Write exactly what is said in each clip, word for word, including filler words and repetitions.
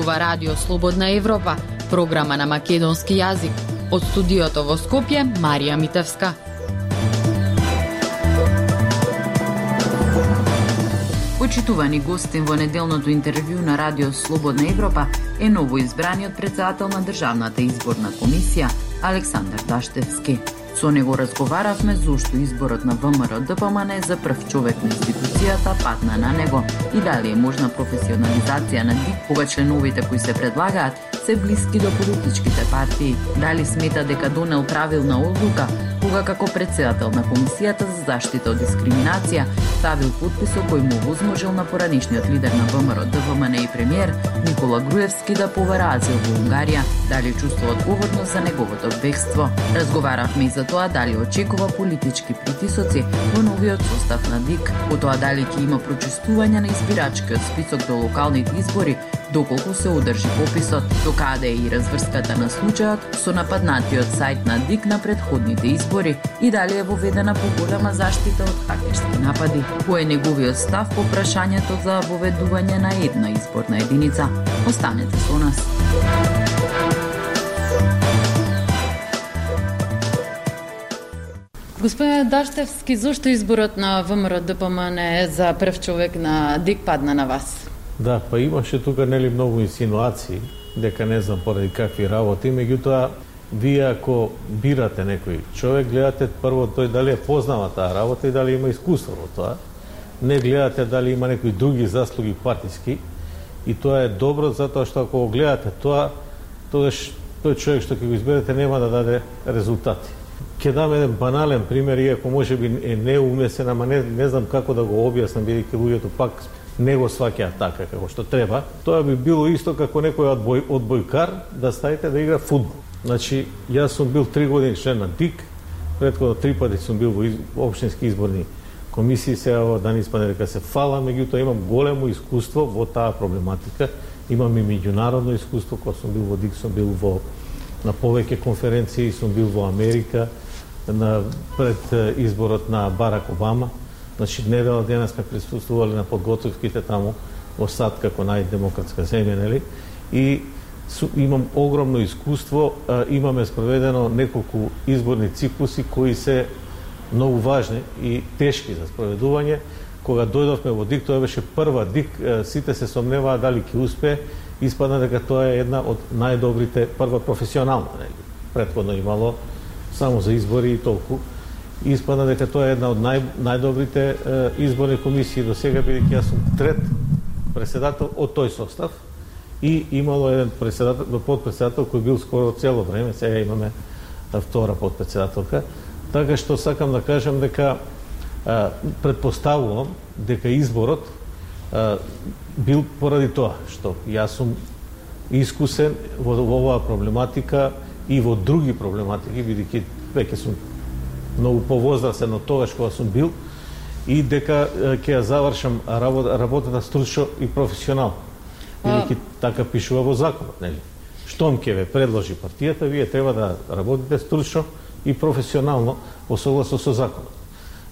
зборува Радио Слободна Европа, програма на македонски јазик. Од студиото во Скопје, Марија Митевска. Почитувани гостин во неделното интервју на Радио Слободна Европа е ново избраниот претседател на Државната изборна комисија Александар Даштевски. Со него разговаравме зошто изборот на ВМРО-ДПМН за прв човек на институцијата падна на него и дали е можна професионализација на ДИК кога членовите кои се предлагаат се блиски до политичките партии. Дали смета дека донел правилна одлука кога како председател на Комисијата за заштита од дискриминација ставил подписот кој му возможил на поранешниот лидер на ВМРО-ДПМН и премиер Никола Груевски да побара азил во Унгарија, дали чувствува одговорност за неговото бегство. Разговаравме и за тоа дали очекува политички притисоци во новиот состав на ДИК, по тоа дали ќе има прочистување на избирачкиот список до локалните избори, доколку се одржи пописот, до каде е и разврската на случајот со нападнатиот сајт на ДИК на предходните избори и дали е воведена поголема заштита од хакерски напади. Кој е неговиот став по прашањето за воведување на една изборна единица? Останете со нас. Господине Даштевски, зошто изборот на ВМРО-ДПМН за прв човек на ДИК падна на вас? Да, па имаше тука нели многу инсинуации дека не знам поради какви работи, меѓутоа вие ако бирате некој човек, гледате прво тој дали е познава таа работа и дали има искуство во тоа. Не гледате дали има некои други заслуги партиски и тоа е добро затоа што ако го гледате тоа, тогаш тој човек што ќе го изберете нема да даде резултати. Ќе дам еден банален пример, иако може би е неумесен, ама не, не знам како да го објаснам, бидејќи луѓето пак не го сваќаат така како што треба. Тоа би било исто како некој одбој, одбојкар да ставите да игра фудбал. Значи, јас сум бил три години член на ДИК, претходно три пати сум бил во из, општински изборни комисии, сега да не испадне дека се фала, меѓутоа имам големо искуство во таа проблематика. Имам и меѓународно искуство, кога сум бил во ДИК, сум бил во на повеќе конференции, сум бил во Америка, на пред изборот на Барак Обама. Значи, недела дена сме присуствували на подготовките таму во САД како најдемократска земја, нели? И су, имам огромно искуство, а, имаме спроведено неколку изборни циклуси кои се многу важни и тешки за спроведување. Кога дојдовме во ДИК, тоа беше прва ДИК, сите се сомневаа дали ќе успее, испадна дека тоа е една од најдобрите, прва професионална, нели? Претходно имало само за избори и толку. Испадна дека тоа е една од нај, најдобрите е, изборни комисии до сега, бидејќи јас сум трет председател од тој состав и имало еден председател, подпредседател кој бил скоро цело време, сега имаме втора подпредседателка. Така што сакам да кажам дека а, предпоставувам дека изборот а, бил поради тоа што јас сум искусен во, во оваа проблематика и во други проблематики, бидејќи веќе сум многу повозрастен од тогаш кога сум бил и дека ќе ја завршам работа, работата стручно и професионално. Бидејќи така пишува во законот, нели? Штом ќе ве предложи партијата, вие треба да работите стручно и професионално во согласно со законот.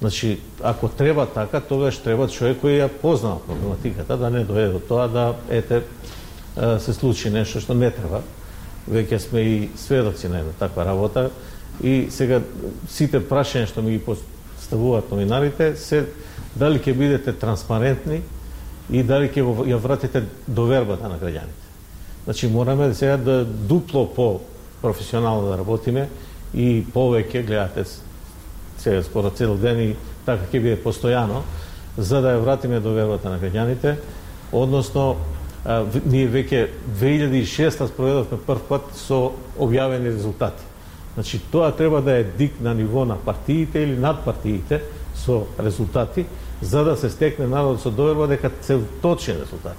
Значи, ако треба така, тогаш треба човек кој ја познава проблематиката, да не дојде до тоа да ете се случи нешто што не треба. Веќе сме и сведоци на една таква работа. И сега сите прашања што ми ги поставуваат новинарите се дали ќе бидете транспарентни и дали ќе ја вратите довербата на граѓаните. Значи мораме сега да дупло по професионално да работиме и повеќе гледате сега скоро цел ден и така ќе биде постојано за да ја вратиме довербата на граѓаните, односно а, ние веќе две илјади и шеста спроведовме прв пат со објавени резултати. Значи, тоа треба да е ДИК на ниво на партиите или над партиите со резултати, за да се стекне народот со доверба дека се точни резултати.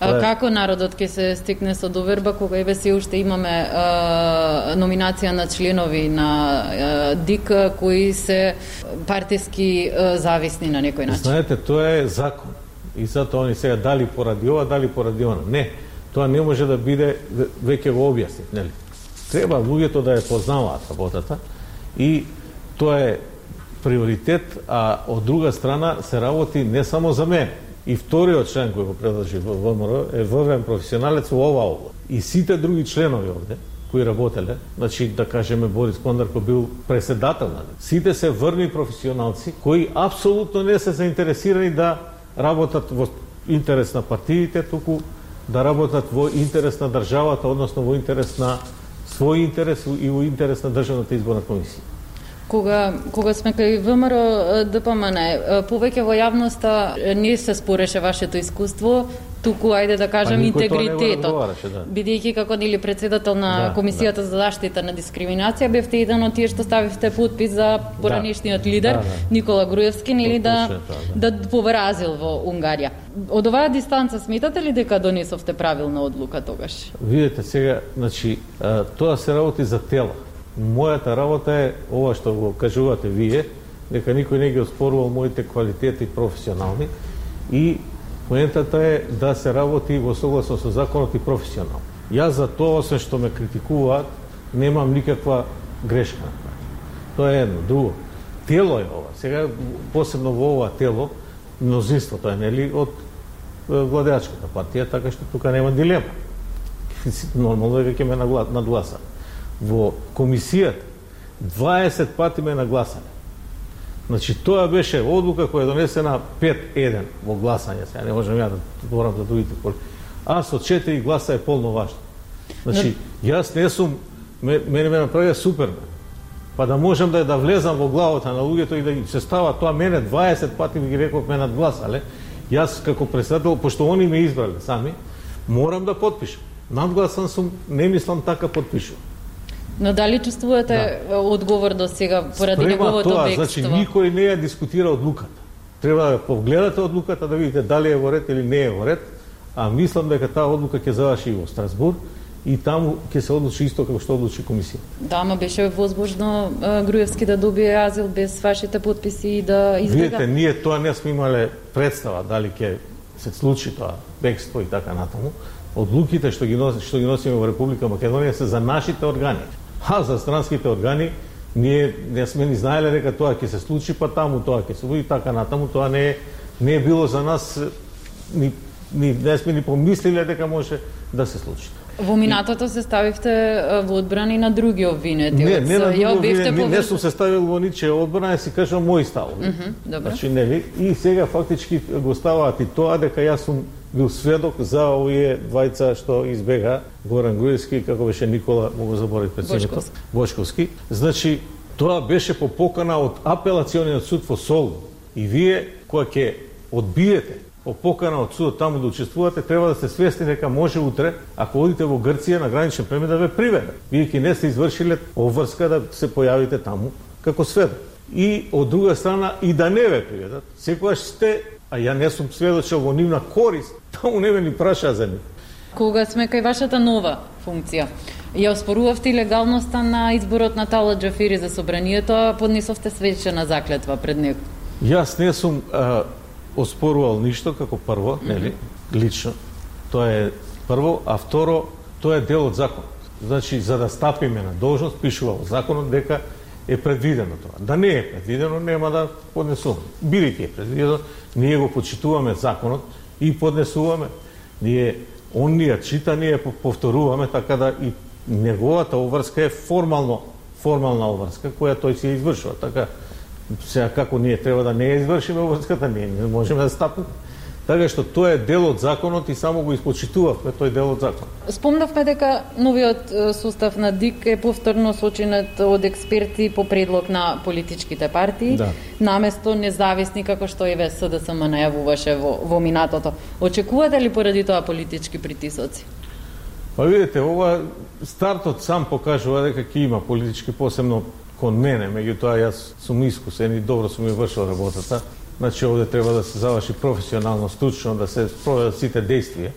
А, е... Како народот ќе се стекне со доверба кога еве се уште имаме е, номинација на членови на е, ДИК кои се партиски е, зависни на некој начин? Знаете, тоа е закон. И затоа они сега дали поради ова, дали поради она. Не, тоа не може да биде, веќе го објаснив, нели? Треба луѓето да ја познаваат работата и тоа е приоритет, а од друга страна се работи не само за мен, И вториот член кој го предложи ВМРО е врвен професионалец во оваа област. И сите други членови овде кои работеле, значи да кажеме Борис Кондарко бил председател на сите се врвни професионалци кои апсолутно не се заинтересирани да работат во интерес на партиите, туку да работат во интерес на државата, односно во интерес на свој интерес и во интерес на Државната изборна комисија. Кога, кога сме кај ВМРО ДПМН, повеќе во јавноста не се спореше вашето искуство, туку, ајде да кажем, интегритетот. Да. Бидејќи како нели председател на да, Комисијата да. за заштита на дискриминација, бевте еден од тие што ставивте подпис за поранешниот да. лидер, да, да. Никола Груевски, нели да, да. да повразил во Унгарија. Од оваа дистанца сметате ли дека донесовте правилна одлука тогаш? Видете сега, значи, тоа се работи за тела. Мојата работа е ова што го кажувате вие, дека никој не ги оспорувал моите квалитети професионални и поентата е да се работи во согласно со законот и професионално. Јас за тоа, освен што ме критикуваат, немам никаква грешка. Тоа е едно. Друго, тело е ова. Сега, посебно во ова тело, мнозинството е, нели, од владеачката партија, така што тука нема дилема. Нормално е дека ќе ме надгласа. Во комисијата дваесет пати ме нагласале. Значи, тоа беше одлука која е донесена пет еден во гласање. Сега не можам ја да говорам за другите коли. А со четири гласа е полно важно. Значи, јас не сум, мене ме направија Супермен. Па да можам да да влезам во главата на луѓето и да се става тоа, мене дваесет пати ги реков ме надгласале. Јас како председател, пошто они ме избрале сами, морам да потпишам. Надгласан сум, не мислам така потпишам. Но дали чувствувате да. одговор до сега поради неговото бегство? Значи, никој не ја дискутира одлуката. Треба да погледате одлуката, да видите дали е во ред или не е во ред, а мислам дека таа одлука ќе заврши во Страсбург и таму ќе се одлучи исто како што одлучи комисија. Да, ама беше возможно Груевски да добие азил без вашите подписи и да избега. Видите, ние тоа не сме имале представа дали ќе се случи тоа бегство и така натаму. Одлуките што ги носи, што ги носиме во Република Македонија се за нашите органи. А за странските органи ние не сме ни знаеле дека тоа ќе се случи, па таму тоа ќе се случи, така натаму тоа не е не е било за нас, ни, ни не сме ни помислиле дека може да се случи. Во минатото се ставивте во одбрани на други обвинети. Не, не на други обвинети, не, не сум се ставил во ничија одбрана, си кажам мои ставови. Mm -hmm, добро. Значи, нели, и сега фактички го ставаат и тоа дека јас сум бил сведок за овие двајца што избега, Горан Груевски, како беше Никола, му го заборав председникот, Бошковски. Значи, тоа беше по покана од апелациониот суд во Солун. И вие, која ќе одбиете по покана од судот таму да учествувате, треба да сте свесни дека може утре, ако одите во Грција на граничен премин, да ве приведат. Вие ќе не сте извршиле обврска да се појавите таму како сведок. И од друга страна и да не ве приведат, секогаш сте, а ја не сум сведочел во нивна корист, таму не ме ни прашаа за нив. Кога сме кај вашата нова функција, ја оспорувавте легалноста на изборот на Талат Џафери за собранието, а поднесовте свечена заклетва пред него. Јас не сум а, оспорувал ништо како прво, нели, лично. Тоа е прво, а второ, тоа е дел од законот. Значи, за да стапиме на должност, пишува во законот дека е предвидено тоа. Да не е предвидено, нема да поднесуваме. Бидејќи е предвидено, ние го почитуваме законот и поднесуваме. Ние, он ни ја чита, ние повторуваме, така да и неговата обврска е формално, формална обврска, која тој си ја извршува. Така, сега како ние треба да не ја извршиме обврската, ние не можеме да стапиме. Така што тоа е дел од законот и само го испочитувавме тој дел од законот. Спомнавме дека новиот состав на ДИК е повторно сочинет од експерти по предлог на политичките партии, да. Наместо независни како што еве СДСМ најавуваше во, во минатото. Очекувате ли поради тоа политички притисоци? Па видите, ова стартот сам покажува дека ќе има политички, посебно кон мене, меѓутоа јас сум искусен и добро сум ја вршил работата. Значи, овде треба да се заврши професионално, стручно, да се спроведат сите действија.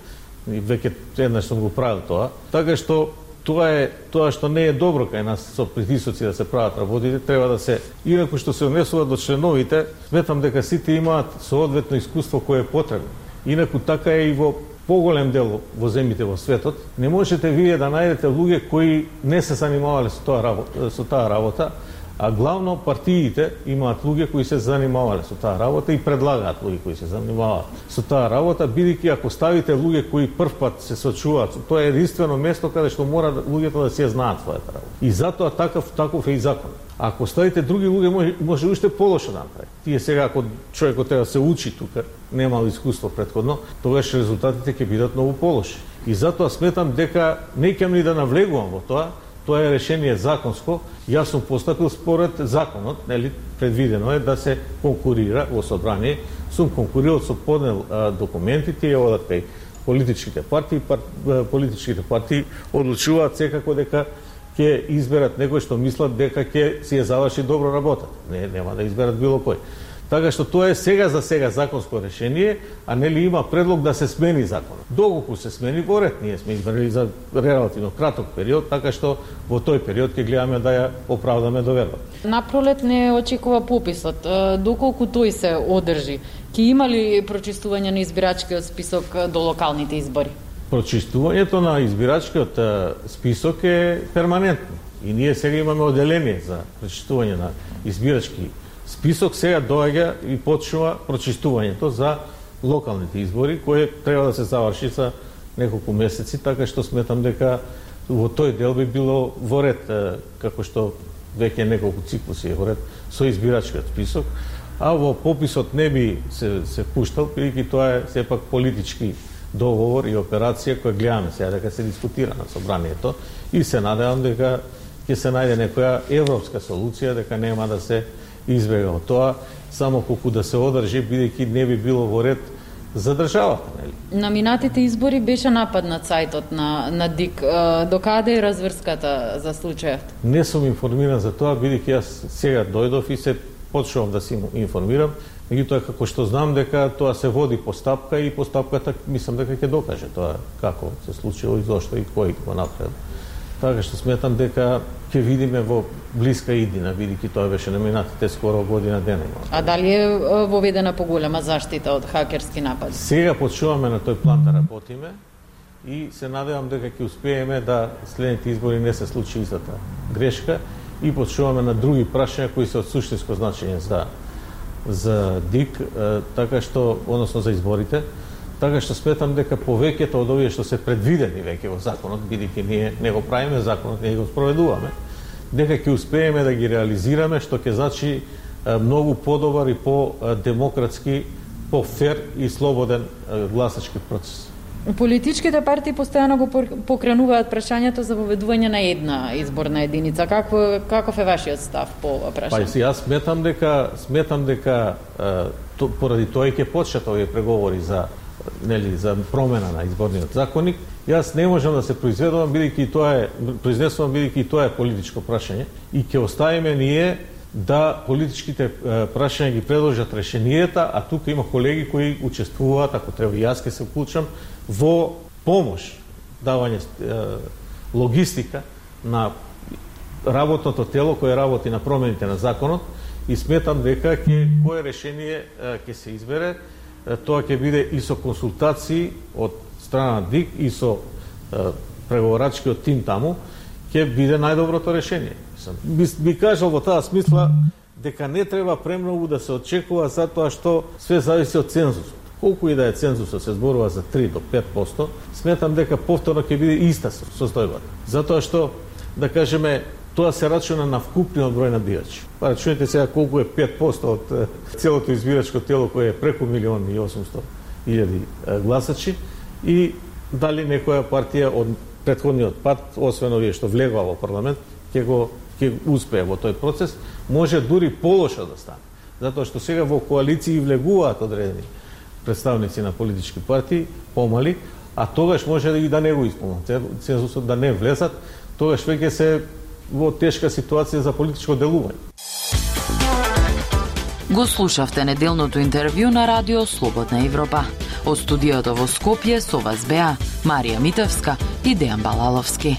И веќе еднаш сум го правил тоа. Така што тоа е тоа што не е добро кај нас со притисоци да се прават работите, треба да се инаку што се однесува до членовите, сметам дека сите имаат соодветно искуство кое е потребно. Инаку така е и во поголем дел во земјите во светот. Не можете вие да најдете луѓе кои не се занимавале со тоа работа, со таа работа, А главно партиите имаат луѓе кои се занимавале со таа работа и предлагаат луѓе кои се занимаваат со таа работа, бидејќи ако ставите луѓе кои прв пат се сочуваат, тоа е единствено место каде што мора луѓето да се знаат својата работа. И затоа таков таков е и закон. Ако ставите други луѓе, може, може уште полошо да направи. Тие сега, ако човекот треба да се учи тука, немал искуство претходно, тогаш резултатите ќе бидат многу полоши. И затоа сметам дека не ќе ни да навлегувам во тоа, тоа е решение законско. Јас сум постапил според законот, нели, предвидено е да се конкурира во собрание. Сум конкурирал, со поднел а, документи, тие одат кај политичките партии, пар, политичките партии одлучуваат секако дека ќе изберат некој што мислат дека ќе си ја заврши добро работата. Не, нема да изберат било кој. Така што тоа е сега за сега законско решение, а нели има предлог да се смени законот. Доколку се смени во ред, ние сме избрали за релативно краток период, така што во тој период ќе гледаме да ја оправдаме доверба. Напролет не очекува пописот. Доколку тој се одржи, ќе има ли прочистување на избирачкиот список до локалните избори? Прочистувањето на избирачкиот список е перманентно. И ние сега имаме оделение за прочистување на избирачки список. Сега доаѓа и почнува прочистувањето за локалните избори, кои треба да се заврши за неколку месеци, така што сметам дека во тој дел би било во ред, како што веќе неколку циклуси е во ред со избирачкиот список, а во пописот не би се, се пуштал, бидејќи тоа е сепак политички договор и операција која гледаме сега дека се дискутира на собранието и се надевам дека ќе се најде некоја европска солуција, дека нема да се избега од тоа, само колку да се одржи, бидејќи не би било во ред за државата, нели? На минатите избори беше нападнат сајтот на на ДИК. Докаде е разврската за случајот? Не сум информиран за тоа, бидејќи јас сега дојдов и се почнувам да се информирам. Меѓутоа, како што знам дека тоа се води постапка и постапката мислам дека ќе докаже тоа како се случило и зошто и кој го направил. Така што сметам дека ќе видиме во блиска иднина, бидејќи тоа беше на минатите скоро година дена. А дали е воведена поголема заштита од хакерски напади? Сега почнуваме на тој план да работиме и се надевам дека ќе успееме да следните избори не се случи истата грешка и почнуваме на други прашања кои се од суштинско значење за за ДИК, така што, односно за изборите, така што сметам дека повеќето од овие што се предвидени веќе во законот, бидејќи ние не го правиме законот, ние го спроведуваме, дека ќе успееме да ги реализираме, што ќе значи многу подобар и по-демократски, по-фер и слободен гласачки процес. Политичките партии постојано го покренуваат прашањето за воведување на една изборна единица. Какво, каков е вашиот став по ова прашање? Па, јас сметам дека сметам дека то, поради тоа ќе почнат овие преговори за нели за промена на изборниот законник. Јас не можам да се произведувам бидејќи тоа е произнесувам бидејќи тоа е политичко прашање и ќе оставиме ние да политичките прашања ги предложат решенијата, а тука има колеги кои учествуваат, ако треба и јас ќе се вклучам во помош, давање логистика на работното тело кое работи на промените на законот и сметам дека ќе кое решение ќе се избере, тоа ќе биде и со консултации од страна на ДИК и со преговорачкиот тим таму, ќе биде најдоброто решение. Би, би кажал во таа смисла дека не треба премногу да се очекува затоа што све зависи од цензусот. Колку и да е цензусот, се зборува за три до пет проценти, сметам дека повторно ќе биде иста состојбата. Затоа што, да кажеме, тоа се рачуна на вкупниот број на бијачи. Па рачунете сега колку е пет проценти од целото избирачко тело кое е преку милион и осумсто илјади гласачи и дали некоја партија од претходниот пат, освен овие што влегува во парламент, ќе го ќе успее во тој процес, може дури полошо да стане. Затоа што сега во коалиции влегуваат одредени представници на политички партии, помали, а тогаш може да и да не го исполнат, цензусот да не влезат, тогаш веќе се во тешка ситуација за политичко делување. Го слушавте неделното интервју на Радио Слободна Европа. Од студиото во Скопје со вас беа Марија Митевска и Дејан Балаловски.